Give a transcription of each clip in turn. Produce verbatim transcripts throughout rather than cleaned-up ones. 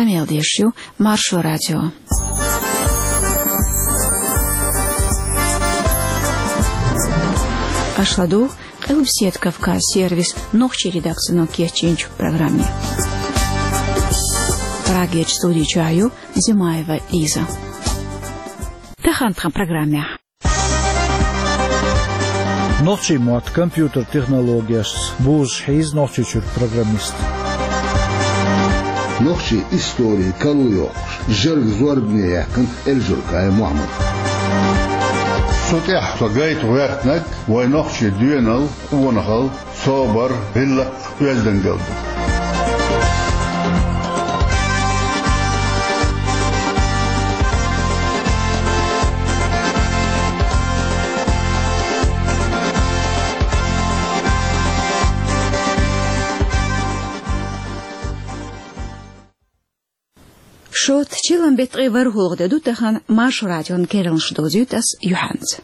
Къамел деш ю Маршо радио. Аша ладугӀу Къилбаседа Кавказ сервисан нохчийн редакцино кечйинчу программе. Прагерчу студи чохь ю Димаева Лиза. Тахана тхан программехь. Нохчийн мотт компьютер технологешца бузуш хьийза Нохчийчуьра программист. Нохчийн истори карлайоккхуш, жӀарг зорбане яьккхина Эльжуркай Мухьаммада. Цу тӀехь со гайта гӀоьртинарг вайн нохчийн доьналла, къонахалла, собар, гӀиллакх, оьздангалла ду. Шот, чиллан беттан ткъе ворхӀалгӀа де ду тахана, Маршо радион керланаш довзуьйту ас юьхьанца.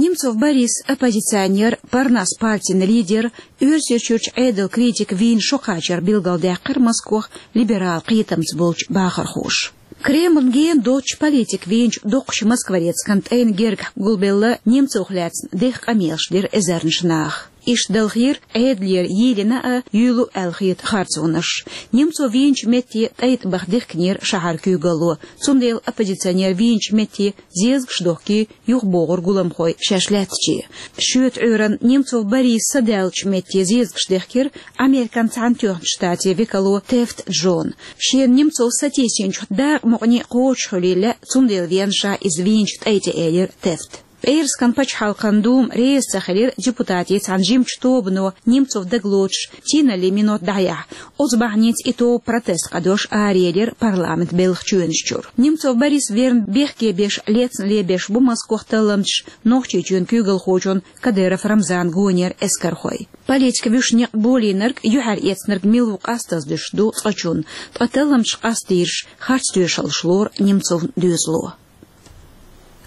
Немцов Борис, оппозиционер, Парнас партин лидер, Оьрсийчуьрчу Ӏедалан критик вийна шо кхачар билгалдаьккхира Москох либерал кхетамца болчу бахархоша. Кремлна гена доцучу политик вийначу доккхачу маскворецкан тӀайна гергахь гулбелла Немцовх лаьцна дехха къамелаш дира эзарнаш наха. Иштта далхийра Ӏедалера йийлина а, юьйлу аьлла хета харцонаш. Немцов вийначу метте тӀайтӀа баха дихкинера шахьаран куьйгалло, цундела оппозиционер вийначу метте зезагаш дохкий юхабогӀура гуламхой шаьш лаьттаче. Шоьтан Ӏуьйранна Немцов Борис садаьллачу метте зезагаш дехкира Американ Цхьаьнатоьхначу Штатийн векало Тефт Джона. Шена Немцов сатийсинчух дакъа мукъане кхочушхуьлийла, цундела веана ша иза вийначу тӀай тӀе, элира Тефта. ПӀераскан пачхьалкхан Дума реза ца хилира депутатийн цхьана жимачу тобано Немцов дагалоцуш тийналлин минот дӀаяхьа. Оцу бахьаница и тоба протест кхадош араелира парламентан белхан чоьнаш чуьра. Немцов Борис верна бехке беш лецна лебеш бу Москох талламчаш Нохчийчоьнан куьйгалхочун Кадыров Рамзанан гонера эскархой. Политик вуьшта некъ болийнарг, юьхьар эцнарг мила ву къастаза дуьсуш ду цкъачунна, ткъа талламчаш къастийраш, харц тоьшаллаш лору Немцовн доьзало.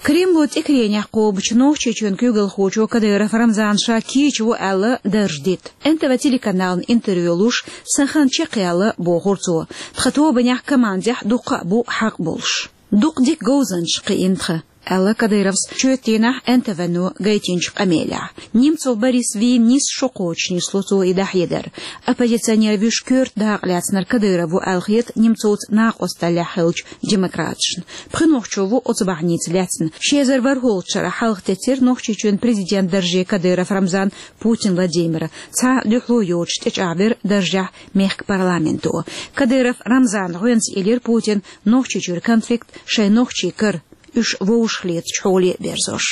Кремло тӀекаренехь кхобучу Нохчийчоьнан куьйгалхочо Кадыров Рамзана ша кийча ву аьлла дарж дита. Н Т В телеканална интервью луш, сан хан чекхъяьлла, бохура цо. Тхан тобанехь, командехь дуккха а бу хьакъ болуш. Дукха дика говзанчаш кхиийна тхан, аьлла Кадыровс чоьттийнахь Н Т В-но гайтинчу къамелехь. Немцов Борис вийна нийсса шо кхочуш нисло цо и дӀахьедар. Оппозиционер вуьш коьрта дакъа лаьцнарг Кадыров ву аьлла хета Немцовца накъосталлехь хиллачу демократашна. Пхи нохчо ву оцу бахьаница лаьцна. Ши эзар ворхӀалгӀачу шарахь хьалхатеттира Нохчийчоьнан президентан дарже Кадыров Рамзан Путин Владимира. Цхьа а дуьхьало йоцуш тӀечӀагӀвира даржехь мехкан парламенто. Кадыров Рамзана гӀоьнца элира Путина Нохчийчуьра конфликт шайн нохчий кара, уьш вовшахлецачу хьоле а берзош.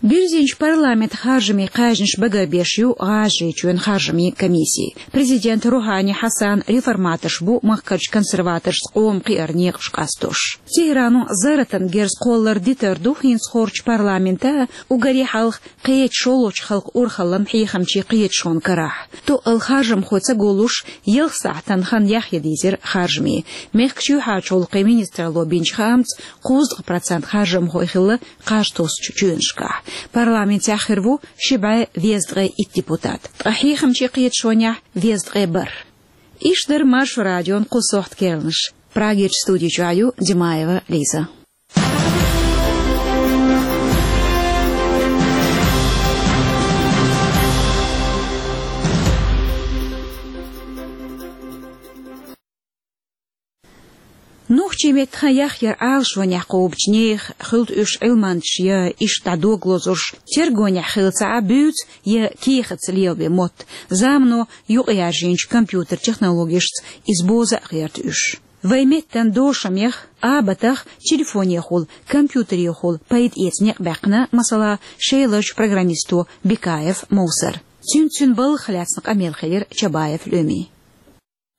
Бирзинчу парламентан харжамийн кхаьжнаш багарбеш ю ГӀажарийчоьнан харжамийн комисси. Президент Рухани Хьасан реформаторш бу махкарчу консерваторшца къоман кхиаран некъаш къастош. Тегерано зарратан герз кхоллар дитар ду хӀинца хорчу парламентан а, уггаре хьалха кхечу шолгӀачу халкъан урхаллан хьехамчийн кхеташонан карахь. Тоъал харжамхой ца гуллуш, ялх сахьтана хан яхъян дийзира харжамийн. Мехкан чоьхьарчу гӀуллакхийн министралло бинчу хаамца, кхузткъа процент харжамхой хилла кхаж тосучу чоьнашкахь. Парламентехь хир ву ши бӀе везткъе итт депутат, ткъа хьехамчийн кхеташонехь везткъе бархӀ. Иштта дара Маршо радион кху сохьтан керланаш. Прагерчу студи чохь ю Димаева Лиза. Нохчийн меттан хан яхъяр Ӏалашонехь кхобучу нехан, хуьлда уьш Ӏилманчаш я иштта дӀа дог лозурш, тергонехь хилла ца Ӏа буьйцу я кехатца лелабен мотт, замано юкъаяржийначу компьютер технологешца иза боза а гӀерта уьш. Вайн меттан дошамех, абатах телефонехула, компьютерехула пайда эца некъ баьккхина, масала, шеларчу программисто Бекаев Мовсара. Цуьнца цуьнан балхах лаьцна къамел хилира Чабаев Лемин.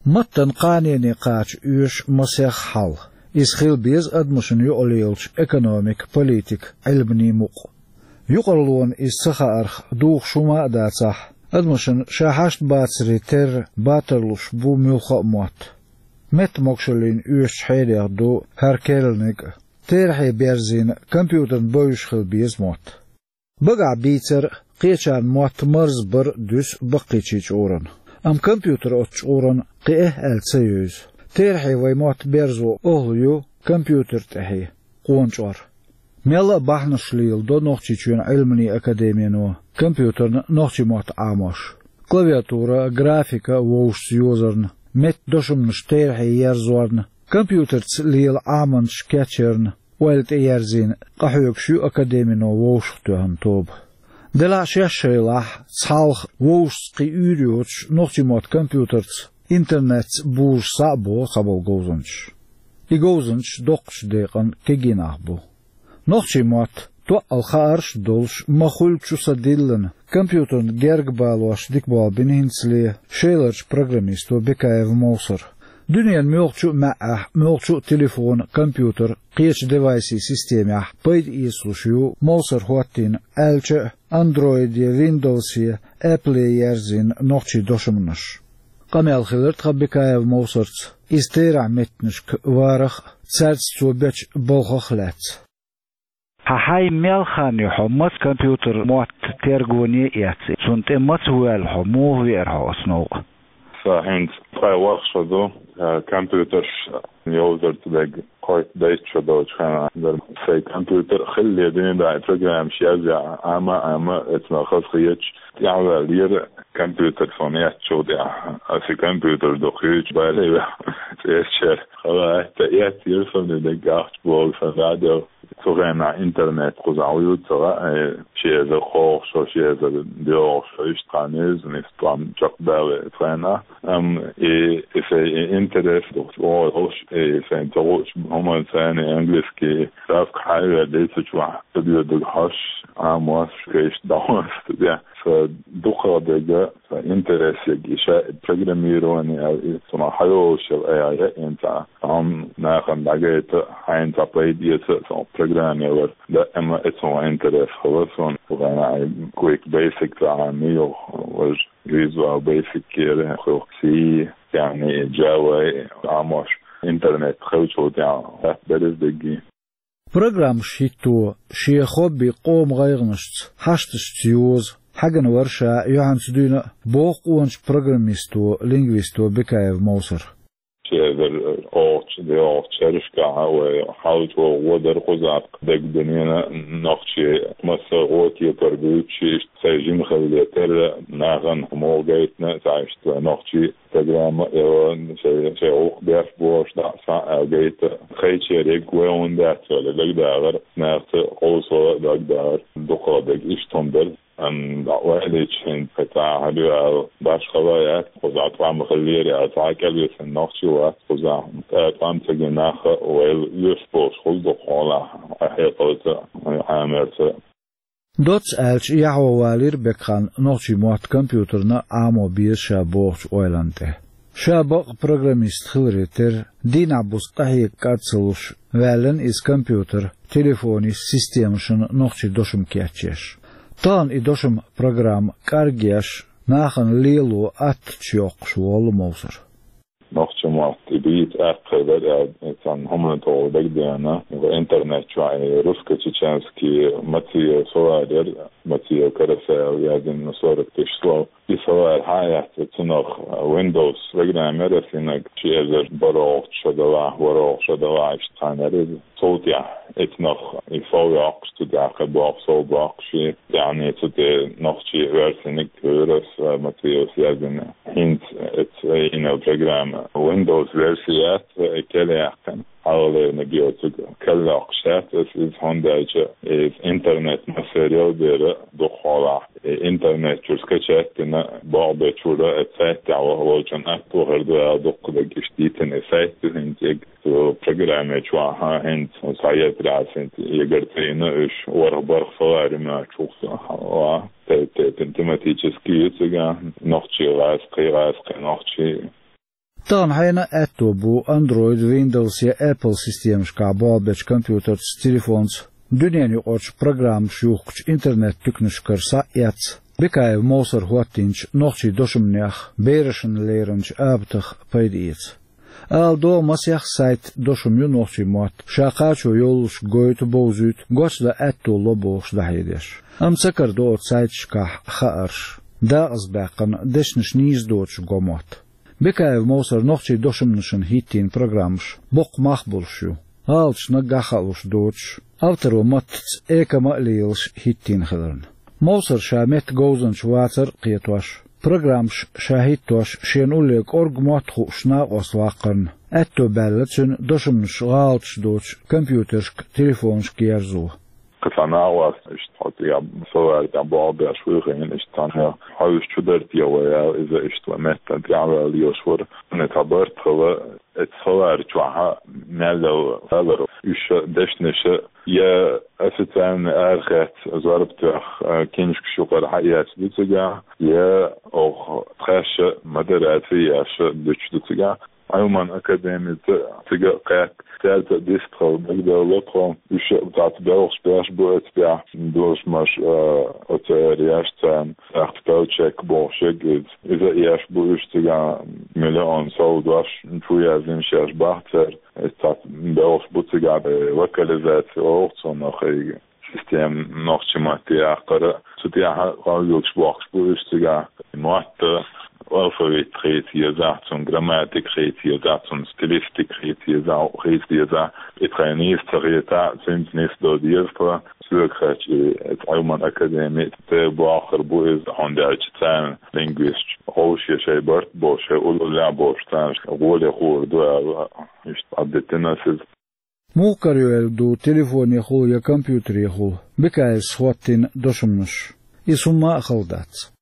Маттан кханене кхача оьшу масех хьал. Иза хила беза адамашна юкъа лелачу экономикан, политикан, Ӏилманийн мукъ. Юкъараллона иза ца хаарх духуш хӀума а дацахь, адамашна ша хьашт бацаре терра батар луш бу муьлхха а мотт. Меттан могушаллина оьшучу хьелех ду хӀара керланиг а. Терахье берзийна компьютерна бевзаш хила беза мотт. Багахь бийцар а, кхечарна мотт марзбар а дуьсу баккхийчийн чкъурана. Амма компьютер оцу чкъурана кхиа аьлла ца евза. Терахье вай мотт берзо охӀла ю компьютер тӀехье, къона чӀор. Мелла а бахьанаш леладо Нохчийчоьнан Ӏилманийн академино компьютерна нохчийн мотт Ӏамош. Клавиатура, графика вовшашца йозарна, меттан дошамаш терахье ерзорна, компьютерца лела Ӏаманаш кечъярна ойла тӀеерзийна къахьоьгуш ю академино вовшахтоьхна тоба. Делахь а шаьш шайлахь, цхьалха вовшашца кхин уьйр йоцуш нохчийн мотт компьютерца, интернетца бузуш схьа а боху цхьаболу говзанчаш. И говзанчаш доккхачу декъана кегий нах бу. Нохчийн мотт, тоъал хаарш а долуш, ма-хуьллучу са диллина, компьютерна герга балош дика болх бина хӀинцале шеларчу программисто Бекаев Мовсара. Дуьненан муьлххачу а маьӀӀехь, муьлххачу а телефона, компьютера, кхечу девайсийн системехь пайда эцалуш ю Мовсара хӀоттийна, аьлча а, Android-е, Windows-е, Apple-е ерзийна нохчийн дошамаш. Къамел хилира тхан Бекаев Мовсарца иза терахьметтанашка варах а, цаьрца цо бечу балхах а лаьцна. Хьан хьайн мел хан ю хьо, маца компьютер мотт тергоне а эцна, цунна тӀе маца воьлла хьо, муха веара хьо оцу новкъа? Сан хӀинца ткъе ворхӀ шо ду, а, компьютерш йовзарца дерг кхойтта-дейтта шо долчу хенахь дара. Сайн компьютер хилале дуьйна дӀа программаш язъяхь, Ӏама а Ӏама, эцнах хазахеташ, тӀаьхьаваьллера компьютер суна эцначул тӀаьхьа. Аса компьютер дукха юьйцуш бале веа, цӀечера. Хала аьтта эццера суна, и дерг ахча боху сан дӀаделла. Цу хенахь интернет кхузахь вуьйцу ца хаьа, ши эзар кхоалгӀа шо, ши эзар доьалгӀа шо, иштта кхаьннера иза, иза тӀом чекхдале цу хенахь. Амма и, и сайн и интерес ду, оха долуш, и сайн ца хуучу хӀуманца, английский, савка хьайвер дийцича вахь, ца доьдург хьош, Ӏамош, кхечу дӀахьош ца де. Сан дукхах дерг, сан интерес ерг и ша программирование аьлла, и ца ма хьайолуш яла, ай, ай, яа, ца. Амма нахана дӀагайта, хьайна цхьа пайда эца, сан программе вар. Даима эцу интерес хилла суна. Вайн ай Quick Basic цхьа мийо, важа Visual Basic кера, хӀокху C, яъни Java, Ӏамош интернет хилчул тӀаьхьа, хатта дара иза дерриге. Программаш хӀитто, шен хобби къоман гӀайгӀанашца, хьашташца йоза, хьаьгна вара ша юьхьанца дуьйна а, боху къоначу программисто, лингвисто Бекаев Мовсара. Ши эзар кхоалгӀачу, доьалгӀачу шерашкахь вай хьал чӀогӀа гӀо дара кхузахь, дагадеана нохчий массо а гӀо-кепара буьйцуш, иштта сайн жима хилале терра, нахана муха гайтина, цхьа иштта вай нохчий программа а, я шайн, шайн гӀуллакх беш болуш дӀа а, схьа а гайта, кхечериг вай хӀунда дац аьлла дагадагӀар, нахаца къовсавала а дагадагӀар, дукхах дерг иштта хӀума дара. Амма дӀа ойла йича, хӀинца кхин цхьа хьал ю аьлла, башхалла яц, кхузахь тӀом хиллера аьлла, цхьа а кӀелвисина нохчи вац кхузахь, ткъа тӀом ца гина нах а вайл оьшуш болуш хуьлу дукха хьолахь, хьекъалца а, Ӏамарца а. Доцца аьлча, яхьо валийра Бекхан нохчийн мотт компьютерна Ӏамо беза ша бохучу ойланна тӀе. Ша бакъ программист хиларе терра, дийнахь-буса къахьега кӀад ца луш, ваьллина иза компьютер, телефонийн системашна нохчийн дошам кечъеш. Тахана и дошам программа кӀаргъеш, нахана лело аттачу йоккхуш волу Мовсар. Нохчийн мотт и бийца аьккхий дара аьлла, цхьана хӀуманна тӀехула дагадеана, интернет чохь и русско-чеченский Мациев словарь яра, Мациев Карасаев яздина сорок тысяч слов. И словарь хьа а эцна, цунах Windows программа яра, синаг ши эзар бархӀалгӀачу шо делахь, ворхӀалгӀа шо делахь, иштта цхьаьна яра иза. Цул тӀаьхьа эцнах и сов йоккхуш, цу тӀехь кхин боккха сов боккхуш, тӀаьхьа цу тӀе нохчийн версиниг хьуьйра аса, Мациевс яздина. ХӀинца эцу йина программа Windows верси яц, и кел яьккхина. Хьалхалерниг йоцург кел йоккхуш яц аса иза, хӀунда аьлча иза интернет массерал бера дукха хьолахь. И интернет чуьра скачать дина, богӀу бен чуьра, сайт тӀехь ваха волчун атта вахар ду аьлла, дуккха дерг иштта дитина и сайт ду хӀинца. Цу программе чохь хӀинца схьаетарехь, хӀинца егар ца йина уьш, ворхӀ-бархӀ словарь ю моьттуш ву-кх, те-, те-, те-, тематический ю цигахь, нохчийн гӀазкхий, гӀазкхийн нохчийн. Тахана хьенан а аьтто бу Android, Windows я Apple системашкахь болх бечу компьютерца, телефонца дуьненаюкъарчу программаш юхкучу интернет-туьканашкара схьа а эцна, Бекаев Мовсар хӀоттийначу нохчийн дошамнех, берашна леринчу абатах пайда эца. Ала догӀу, масех сайт, дошам ю нохчийн мотт ша кхачо йоллуш гойту, бовзуьйту, гочдан аьтто ло бохуш дӀахьедеш. Амма ца карадо оцу сайташкахь хаарш, дакъазбаьккхина, дешнаш нийса доцуш го мотт. Бекаев Мовсар нохчийн дошамашна хӀиттийна программаш боккха мах болуш ю, гӀалаташ наггахь а хаалуш доцуш, авторо маттаца экама а лелаш хӀиттийна хиларна. Мовсар ша меттан говзанча вацар а кхетош, программаш ша хӀиттош, шена улле кӀоргга мотт хууш накъост ваккхарна, аьтто баьлла цуьнан дошамаш гӀалаташ доцуш компьютерашка, телефонашка ерзо. Кхин цхьа накъост, иштта хьо цигахь словарь тӀехь болх беш вуй хиъна, иштта цхьаьна хьовсуш чу дара те вай аьлла, иза иштта вай меттан тӀаьхьаваьлла йолуш вара. Цхьа барт хилла, оцу словарь чохь мел йолу алар, уьш дешнаш я официальный арахецна зорба тоьхна, киншкаш юкъара хьаэцна ду цигахь, я оха тхаьш модераци еш дуьтуш ду цигахь. Ӏилман академица цига а кхетта, цаьрца а дистхила дагадевлла тхо, уьш а цхьацца белхаш беш бу оцу тӀехь, дошамаш, а, оцу эр еш царна, тӀаккха спеллчек бохуш ерг иза. Иза а еш бу уьш цигахь, миллион сов дош чу яздина шаьш бахцара. Иза цхьацца белхаш бу цигахь, э, локализация олу цунах, и система нохчийн матте яккхара. Цу тӀехь къамелаш бохкуш бу уьш цигахь. Мотт, алфавит хийца езахь, цуьнан грамматика хийца езахь, цуьнан стилистика хийца езахь, хийца езахь. И тхайн нийса ца хетахь, цуьнца нисдо деза тхо. Соьга хетча, и Ӏилман академи тӀе бохур бу иза, хӀунда аьлча царна лингвисташ гӀовшаш шайн барт бо, шайн уллехь болуш царна гӀоле хуур ду аьлла, иштта дӀадитина ас иза. Муха карайо аьлла ду телефонехула я компьютерехула Бекаевс хӀоттийна дошамаш? Иза хӀумма а хала дац.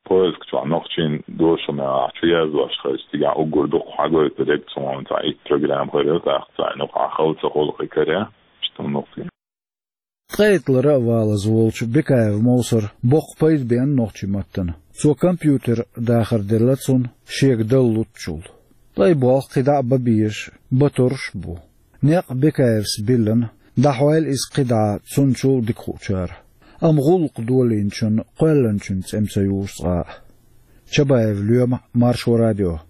Поиск чохь нохчийн дошамех чу яздеш хилча, цигахь уггар дукха хьагойтур ерг цхьа итт программа хир ю, тӀаккха царна юкъахь хала ца хуьлу кхин карахь, иштта хӀума ду-кх. Ткъе итт лара а валаза волчу Бекаев Мовсара боккха пайда беана нохчийн маттана. Цо компьютер дахар делла цунна, шега дала луччул. Ткъа и болх кхидӀа а бан безаш, бан тарлуш а бу. Некъ Бекаевс биллина, дӀахьойла иза кхидӀа цунначул а дика хуучара. Амма гӀуллакх долийначунна кхоьллинчун цӀе ца юуш цкъа а. Чабаев Лоьма, Маршо радио.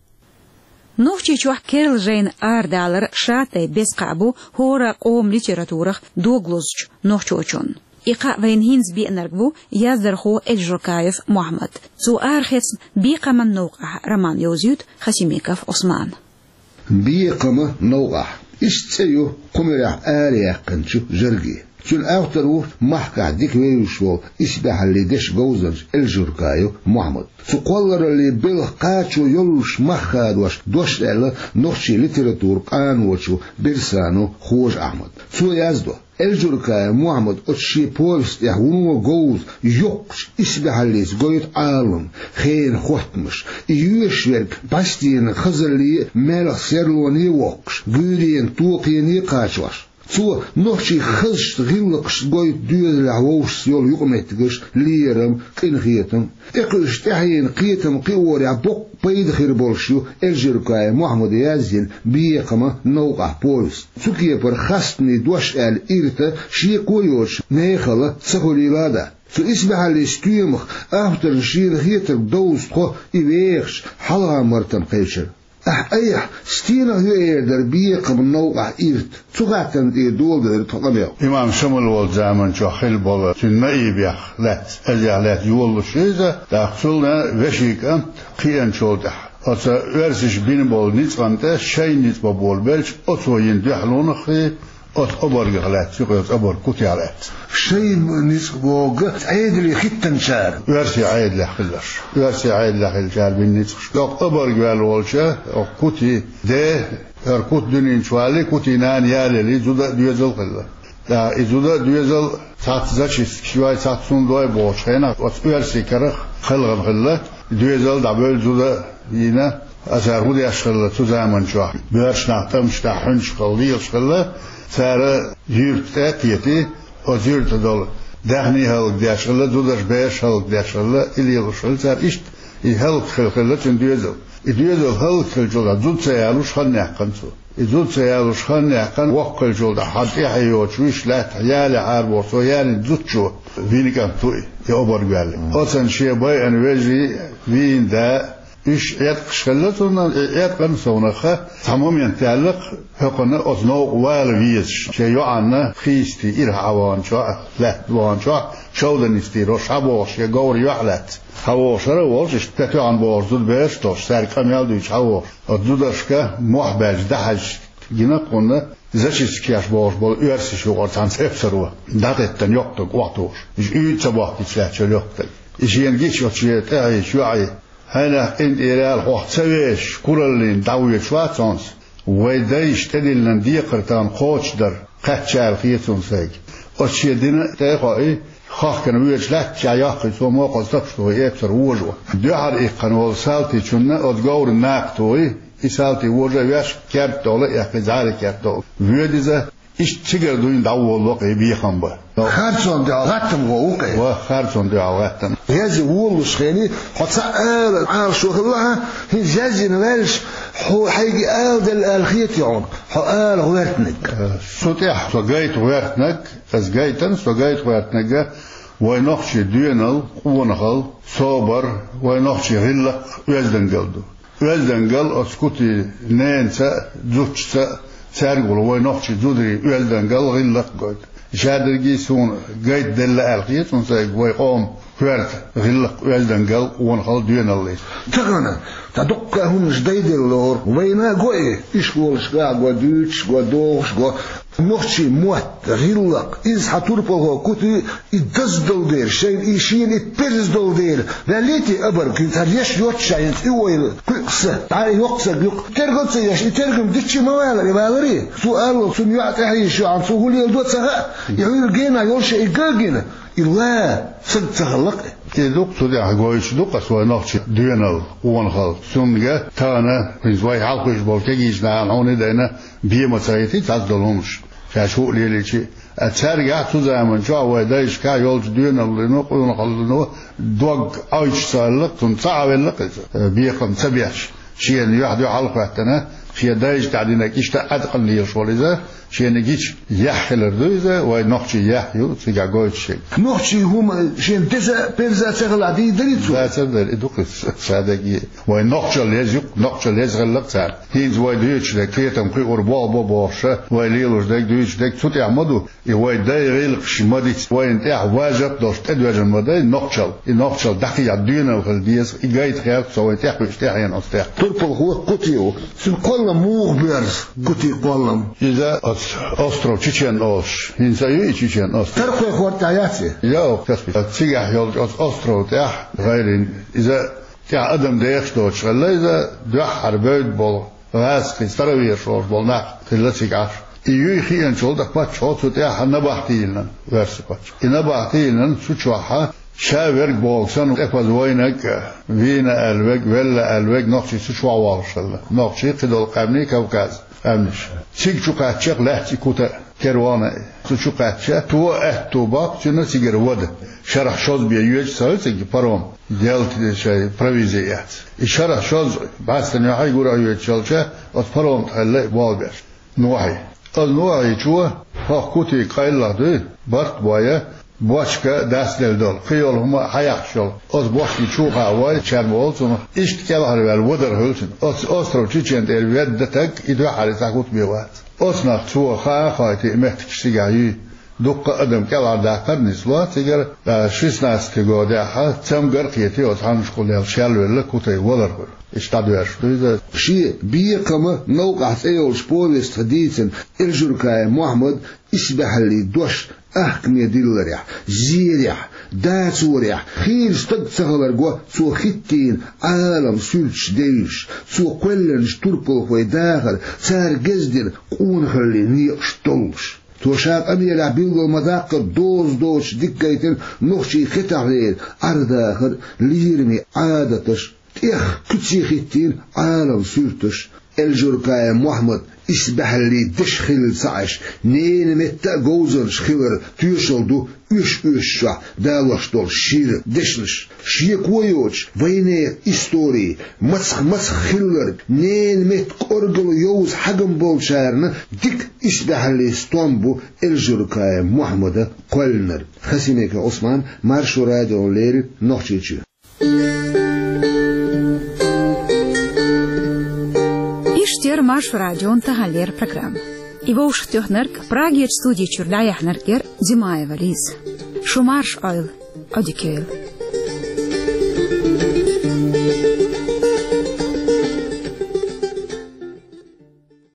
Нохчийчохь керла жайна арадалар шатайпа беза кхаъ бу хӀора къоман литературах дог лозучу нохчочунна. И кхаъ вайна хӀинца беанарг ву яздархо Эльжуркаев Мохьмад. Цо арахецна «Бекхаман новкъахь» роман йовзуьйту Хасимиков Ӏусмана. «Бекхаман новкъахь». Иштта цӀе ю кху муьрехь араяьккхинчу журге. Цуьнан автор ву махкахь дика вевзаш волу исбаьхьаллин дешан говзанча Эльжуркаев Мохьмад. Цу кхоллараллин белхан кхачо йоллуш мах хадош дош даьлла нохчийн литературан къаночо Берсанов Хожа-Ахьмада. Цо яздо: Эльжуркаев Мохьмад оцу шен повесть тӀехь вуно говза, йоккхачу исбаьхьаллица гойту Ӏалам, хенан хоттамаш. И йоьшуш верг бӀаьстенан хазалле а, маьлхан серлоне а воккхуш, гуьйренан токхене а кхачош. Цо нохчийн хазачу гӀиллакхашца гойту доьзалехь вовшашца йолу юкъаметтигаш, лерам, къинхетам. ТӀекхуьуш тӀаьхьенан кхетам кхиорехь боккха пайда хир болуш ю Эльжуркаев Мохьмада язйина «Бекхаман новкъахь» повесть. Цу кепара хастане дош аьлла ирта шеко йоцуш, мехала ца хуьлийла а дац. Цу исбаьхьаллин стоьмах авторна шена хетарг довза тхо и вехачу хьалха-мартан кхечара. Ахь айхьа стенах ю эр дара «Бекхаман новкъахь» ирта? Цу хаттарна тӀера доладевр тхо къамел. Имам Шамал волчу заманчохь хилла болу цуьнан наибех лаьцна, азех лаьцна йолалуш иза, тӀаккха цунна вешин кӀант кхиъначул тӀаьхьа, оцу оьрсаша бина болу ницкъан тӀе шайн ницкъ бан болабелча, оцо йина дуьхьалонах а, оцу обаргах лаьцна, юкъа йолчу обарг кутех лаьцна. Шайн ницкъ бохург Ӏедале хӀиттинчара. Оьрсийн Ӏедалехь хилларш. Оьрсийн Ӏедалехь хиллачара бина ницкъаш. ТӀаккха обарг ваьлла волча, оха кути де, хӀара кути дуьнен чу валлий, кутий нана ялелий, зуда а доьзал а хилла. ТӀаккха и зуда а доьзал цхьацца зачисткаш йой, цхьацца хӀума дой бохучу хенахь, оцу оьрсийн карах кхелхина хилла, доьзал а дӀабевлла, зуда а йина, а цара хӀун деш хилла цу заманчохь? Боьрша нах тӀамаш тӀехь хьуьнчух лелаш хилла, цара юьрта тӀе а кхетий, оцу юьрта долу даьхни а хӀаллакдеш хилла, зудаш, бераш а хӀаллакдеш хилла, и лелош хилла цара. Иштта и хӀаллакьхилла хилла цуьнан доьзал. И доьзал хӀаллакьхилчул тӀаьхьа зуда ца ялош хан яьккхина цо. И зуда ца ялош хан яьккхина, воккха хилчул тӀаьхьа хьан тӀаьхье йоцуш вуьйш лаьттахь ялехь арабохуш, цо ялийна зудчо винкӀант ву и, и обарг ваьлла. Оцунна шен байъина вежарий, вийна да, Уьш Ӏеткъаш хилла цунна, и Ӏеткъан совнаха цхьа момент даьлла-кх, хӀокхунна оцу новкъа вала везаш, шен йоӀанна хийсте ирахь Ӏа ваханчохь, лаьтта ваханчохь, шовданисте йолуш хьан бохуш, шен говра юьхь лаьцна хьан вохуш хӀара а волуш, иштта тӀетоьхна бохуш зудабераш а долуш, цаьрга къамел дуьйцуш хьан вохуш, оцу зударшка мохь баьлча дӀахьаьжча гина кхунна, зачистка еш бохуш болу оьрсаша юкъара цхьана эпсаро дӀатеттина йоккха стаг охьатухуш. Иза уьйда ца бохкийча лаьтташ йолу йоккха стаг. И шена гича оцу шен тӀаьхьечу йоӀе: «Хьайнах къинтӀера аьлла, хьох ца вешаш, кураллина дӀавоьдуш вац хьо-м со. Вай дайша тӀедиллина декхар тахана кхочушдар кхаьчча аьлла хета суна сайга». Оцу шен дина тӀе а хоуьйтуш, хахкана воьдуш лаьттачохь йоккхуьйту цо мокхаза тапаш тухий эпсар вожо. Дуьхьал иккхина волу салтичунна оцу говран накха тухий, и салти вожа а веш, керта тӀехула а эккхий, зӀара керта тӀехула воьду иза. Иштта цигара дуьйна дӀаволало-кх и бекхам бан. Харцонна дуьхьал гӀаттам гӀо ву-кх и. Ва, харцонна дуьхьал гӀаттам. Язъян волалуш хенахь, хьо цхьа ала Ӏалашо хилла хьан, хӀинца язйина ваьлча, хьо хьайга аладелла аьлла хетий хьуна, хьо ала гӀоьртинарг? Э, со тӀехь со гайта гӀоьртинарг, аса гайтина со гайта гӀоьртинарг, вай нохчийн доьналла, къонахалла, собар, вай нохчийн гӀиллакх, оьздангалла ду. Оьздангалла оцу Кутин ненаца а, зудчуьнца а, цаьрга волу вай нохчийн зударийн оьздангалла, гӀиллакх гойту. Шадерриге а суна гайта делла аьлла хета суна сайга вай къоман коьрта гӀиллакх, оьздангалла, къонахалла, доьналла. Тахана цхьа дуккха а хӀуманаш дайделла лору, вайна а го и, ишколашкахь а го, дуьйцуш а го, дохуш а го. Нохчийн мотт, гӀиллакх, иза хьан турпалхо Кути и даздалу дела, шайна и шена и перза долу дела, ваьллий те абарг, хӀинца хӀара еш йоццушехь, хӀинца и войла кхуьукъ са, дӀа и йоккха саг юккъе тергал ца еш, и тергам диччи ма валара, и валарий? Цо аллал, цунна йоӀ тӀаьхье йиш ю хьуна, цо хӀун леладо ца хаьа, и хьуьйра гена йолуш а и ган гина, и ла саг ца хилла-кх и. И ду-кх цу тӀехь гойтуш ду-кх аса вай нохчийн доьналла, къонахалла. Цундела тахана, хӀинца вай хьалха хуьлуш болу кегийчу нахана хьуна а дайна, бен ма ца хӀиттий цхьацца долу хӀуманаш, шаьш хӀуъа лелийча а. Цаьргахь цу заманчохь вай дайшкахь йолчу доьналлино, къонахаллино дог Ӏойчуш ца хилла-кх, цунна ца Ӏавелла-кх иза, бекхам ца беш. Шена юьхь-дуьхьал а хӀоьттина, шен дайша тӀехь динарг иштта а Ӏаткъам лелаш волу иза, шена гича яхь хилар ду иза, вай нохчийн яхь ю цигахь гойтуш ерг. Нохчийн хӀума шена деза а, перза а ца хилахь дийр дарий цо? Дацар дара, и ду-кх иза ша дерриге. Вайн нохчалла еза ю-кх, нохчалла еза хилла-кх царна. ХӀинца вай дуьйцуш дерг, кхетам кхиор болх бо бохуш, вай лелош дерг, дуьйцуш дерг цу тӀехь ма ду. И вай дайн гӀиллакхаш ма дицци, вайна тӀехь важат а долуш тӀедоьжна ма дай нохчалла. И нохчалла дӀакхехьа доьналла хила деза, и гайта гӀерта со вайн тӀехь вуьйш тӀаьхьена оцу тӀехь. Турпалхо Кути ву. Цуьнан кхоллам муха боьрзу, Кутин кхоллам? Иза оцу остров Чечен олуш. ХӀинца а ю и Чечен остров? Таркхойн хӀорда тӀехь яц и? Йо, Каспий. Цигахь йолчу оцу остров тӀехь гӀайрина иза тӀехь адам дехаш доцуш хилла иза, дуьххьара бевдда болу гӀазкхий, старовераш олуш болу нах хилла цигахь. И юй хиъначул тӀаьхьа паччахьо цу тӀехь набахти йиллина, оьрсийн паччахьо. И набахти йиллина, цу чохь ша верг бохург санна, тӀепаза вайнарг а, вийна аьлла верг, велла аьлла верг нохчий цу чохь вогӀуш хилла. Нохчий, кхидолу къаьмнийн, Кавказан къаьмнаш. Цига чу кхаьчча-кх лаьцна и Кута а, кервана а. Цу чу кхаьчча, цо аьтту боккху цуьнан цигара вада. Шарахь шозза бен йоьдуш ца хуьлу цига паром, делта шайн провизи эцна. И шарахь шозза бӀаьстенан юьхьа гура а йоьдуш йолча, оцу парома тӀехь хилла и болх беш. Нохьий. Оцу нохьийчо хӀокху Кутига къайлаха дуй, барт а бой, бочка дастделла долу, кхин йолу хӀума а хьаяхьаш йолу. Оцу бочкин чу кхаьа вой, чарма волу цунах, иштта кӀелхьарваьлла вадар хуьлу цуьнан. Оцу остров Чечен тӀера ведда стаг и дуьххьара цхьа хӀуттаме вац. Оцу нах цо хаа а хоуьйтий, и меттигаш цигахь юй. Дуккха а адам кӀелхьардаккхар а нисло цигара, ткъа шестнадцатый годехь цамгар а кхетий, оцу хьаннашкахула шелвелла Кутий валар хуьлу. Иштта дӀадоьрзуш ду иза. Шен «Бекхам а, новкъахь» цӀе йолчу повестехь дийцина Эльжуркаев Мохьмадан исбаьхьаллин дош ахкаме дилларехь, зерехь, дацорехь хийра стаг ца хилар го цо хӀиттийна Ӏалам суьрташ девзаш, цо кхоьллинчу турпалхойн дахар, цара гезгдина къонахаллин некъаш доллуш. Цо ша къамелехь билгал ма-даккхара доза доцуш дика гайтина нохчийн хетахь лерина Ӏар-дахар, лераме Ӏадаташ, тӀех куьце хӀиттийна Ӏалам суьрташ. Эльжуркаев Мохьмадан исбаьхьаллин дешан хилла ца Ӏаш, ненан метта а говзанча хиларан тоьшалла ду оьш-оьшучохь далош долу шира дешнаш. Шеко йоцуш, вайнехан истори, мацах-мацах хилларг, ненан метта кӀорггала йовза хьагам болчарна дика исбаьхьаллин стом бу Эльжуркаев Мохьмада кхоьллинарг. Хасимиков Ӏусман, Маршо радиона леррина, Нохчийчоь. Маршо радион таханлера программа. И вовшахтоьхнарг, Прагерчу студи чуьра дӀаяьхьнарг яра Димаева Лиза. Шу марша Ӏойла, Ӏодика йойла.